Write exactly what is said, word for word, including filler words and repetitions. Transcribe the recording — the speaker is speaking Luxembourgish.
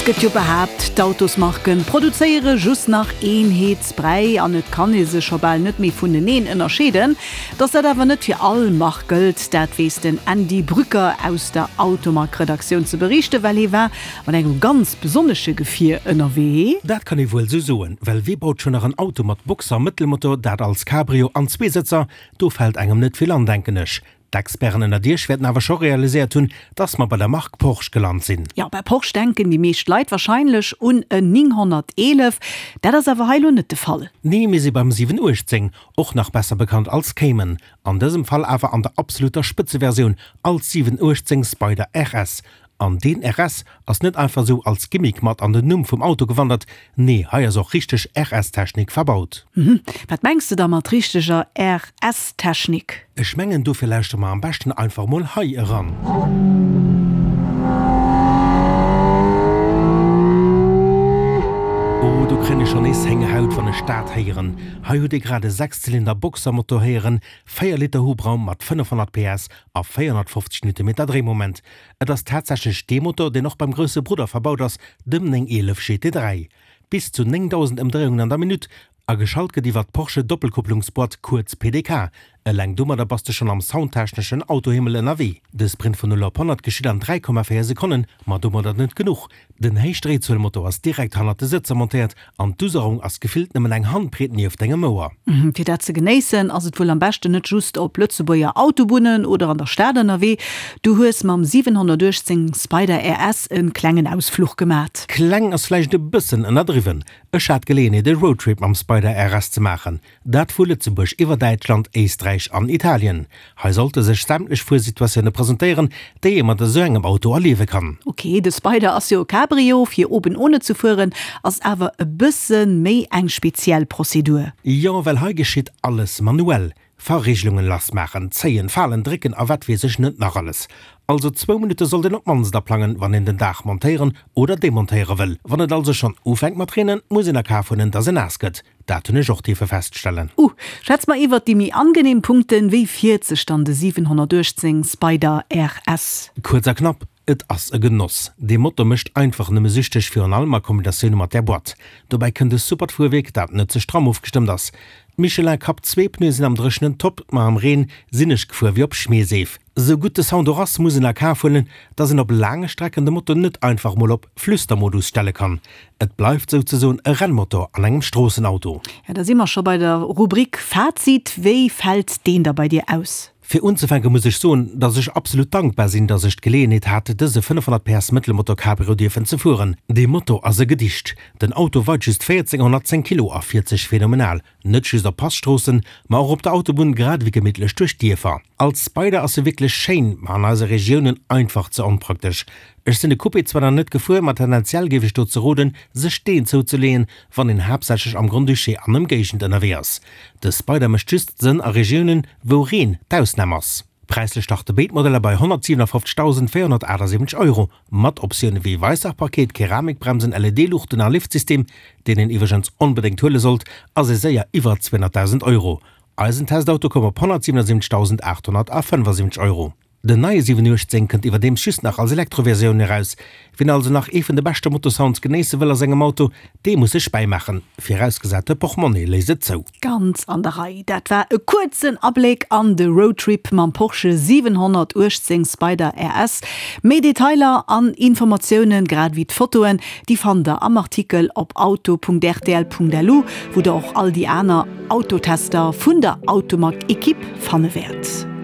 gëtt jo behaapt, d'Autosmarken produzéiere just nach Eenheetsbräi an et kann ee se scho bal net méi vuneneen ënnerscheeden. Dass dat awer net fir all Mark gëllt, dat weess den Andy Brücker aus der Automag-Redaktioun ze beriichten, well hie war mat engem ganz besonnesche Gefier ënnerwee. Dat kann ee wuel sou soen, well wee baut schonn nach en Auto mat Boxer-Mëttelmotor, dat als Cabrio an Zweesëtzer? Do fält engem net vill an, denken ech. D'Experten ënnert Iech wäerten awer scho realiséiert hunn, dass mer bei der Mark Porsche gelant sinn. Jo, bei Porsche denken déi meescht Leit warscheinlech un en nénghonnerteelef. Dat ass awer hei elo net de Fall. Nee, mir si beim siwen uechtzéng, och nach besser bekannt als Cayman. An dësem Fall awer an der absoluter Spëtzeversioun als siwen uechtzéng Spyder R S. An deen R S ass net einfach sou als Gimmick mat an den Numm vum Auto gewandert, nee, hei ass och richteg R S-Technik verbaut. Mhm. Wat mengs de da mat richteger R S-Technik? Ech mengen, dofir lauschtere mer am beschten einfach mol hei eran. Oh, do kréien ech schonn nees Héngerhaut, wann ech dat héieren. Hei hutt Dir grad e Sechszylinder-Boxermotor héieren, véier Liter Hubraum mat fënnefhonnert P S a véierhonnertfofzeg Newtonmeter Dréimoment. Et ass tatsächlech dee Motor, deen och beim grousse Brudder verbaut ass, dem néng eelef G T dräi. Bis zu néngdausend Ëmdréiungen an der Minutt a geschalt gëtt iwwer d'Porsche Doppelkupplungsboîte, kuerz P D K. Eleng domadder bass de schonn am soundtechneschen Autohimmel ënnerwee. De Sprint vun null op honnert geschitt an dräi Komma véier Sekonnen, ma domadder net genuch, Den Héichdréizuelmotor ass direkt hannert de Sëtzer montéiert an d'Userung ass gefillt nëmmen eng Handbreet nieft dengem Ouer. Fir dat ze genéissen, ass et wuel am beschten net just op Lëtzebuerger Autobunnen oder an der Stad ënnerwee. Du hues mam siwenhonnertuechtzéng Spyder R S e klengen Ausfluch gemat. Kleng ass vläicht e bëssen ënnerdriwwen. Ech hat d'Geleeënheet e Roadtrip mam Spyder R S ze maachen. Dat vu Lëtzebuerg iwwer Däitschland, Éisträich an Italien. Hei sollte sech sämtlech Fuersituatioune presentéieren, déi ee mat esou engem Auto erliewe kann. Ok, de Spyder ass jo e Cabrio, fir oben ohne ze fueren ass awer e bësse méi eng speziell Prozedur. Jo, well hei geschitt alles manuell. Verrigelungen lassmaachen, zéien, falen, drécken a wat weess ech net nach alles. Also zwou Minutte sollt een op d'mannst aplangen, wann een den Daach montéieren oder demontéiere wëll. Wann et also schonn ufänkt mat reenen, muss een a Kaf huelen, dass een naass gëtt. Dat hunn ech och dierfe feststellen. Uh, schwätz mer iwwert déi méi angenehm Punkten, wéi fiert sech dann de siwenhonnertuechtzéng Spyder R S? Kuerz a knapp, Et ass e Genoss. Dee Motor mécht einfach nëmme süchteg, virun allem a Kombinatioun mat där Boîte. Dobäi kënnt e supert Fuerwierk, dat net ze stramm ofgestëmmt ass. D'Michelin Cup zwee Pneue sinn am Dréchenen top, ma am Reen sinn ech gefuer wéi op Schmierseef. Sou gutt de Sound och ass, muss een a Kaf huelen, dass een op laange Strecken de Motor net einfach mol op Flüstermodus stelle kann. Et bleift souzesoen e Rennmotor an engem Stroossenauto. Ja, da si mer scho bei der Rubrik Fazit. Wéi fält deen da bei dir aus? Fir unzefänke muss ech soen, dass ech absolut dankbar sinn, dass ech d'Geleeënheet hat, dëse fënnefhonnert P S Mëttelmotor Cabrio dierfen ze fueren. Dee Motor ass e Gedicht. Den Auto weit just véierzénghonnertzéng Kilo a fiert sech phänomenal, net just op Passtroossen, ma och op der Autobunn grad ewéi gemittlech duerch d'Dierfer. Als Spyder ass e wierklech schéin, ma an eise Regiounen einfach ze onpraktesch. Ech sinn de Coupé zwar nach net gefuer, ma tendenziell géif ech dozou roden, sech deen zouzeleeën, wann een haaptsächlech am Grand-Duché an Ëmgéigend ënnerwee ass. De Spyder mécht just Sënn a Regiounen, wou Reen d'Ausnam ass. Präislech starte béid Modeller bei honnertsiwenafoffzegdausendvéierhonnertaachtasiwwenzeg Euro, mat Optioune wéi Weissach-Paket, Keramikbremsen, L E D-Luuchten a Liftsystem, deen een iwwregens onbedéngt huele sollt, ass ee séier iwwer zweehonnertdausend Euro. Eisen Testauto koum op honnertsiwenosiwwenzegdausendaathonnertfënnefasiwwenzeg Euro. Den neie siwen uechtzéng kënnt iwwerdeems just nach als Elektroversioun eraus. Wien also nach ee vun de beschte Motorsounds genéisse wëll a sengem Auto, dee muss sech bäimaachen, virausgesat de Portmonni léisst et zou. Ganz an der Rei. Dat war e kuerzen Abléck an de Roadtrip mam Porsche siwenhonnertuechtzéng Spyder R S. Méi Detailer an Informatiounen, grad ewéi d'Fotoen, déi fannt der am Artikel op auto Punkt R T L Punkt L U, wou der och all déi aner Autotester vun der Automag-Ekipp fanne wäert.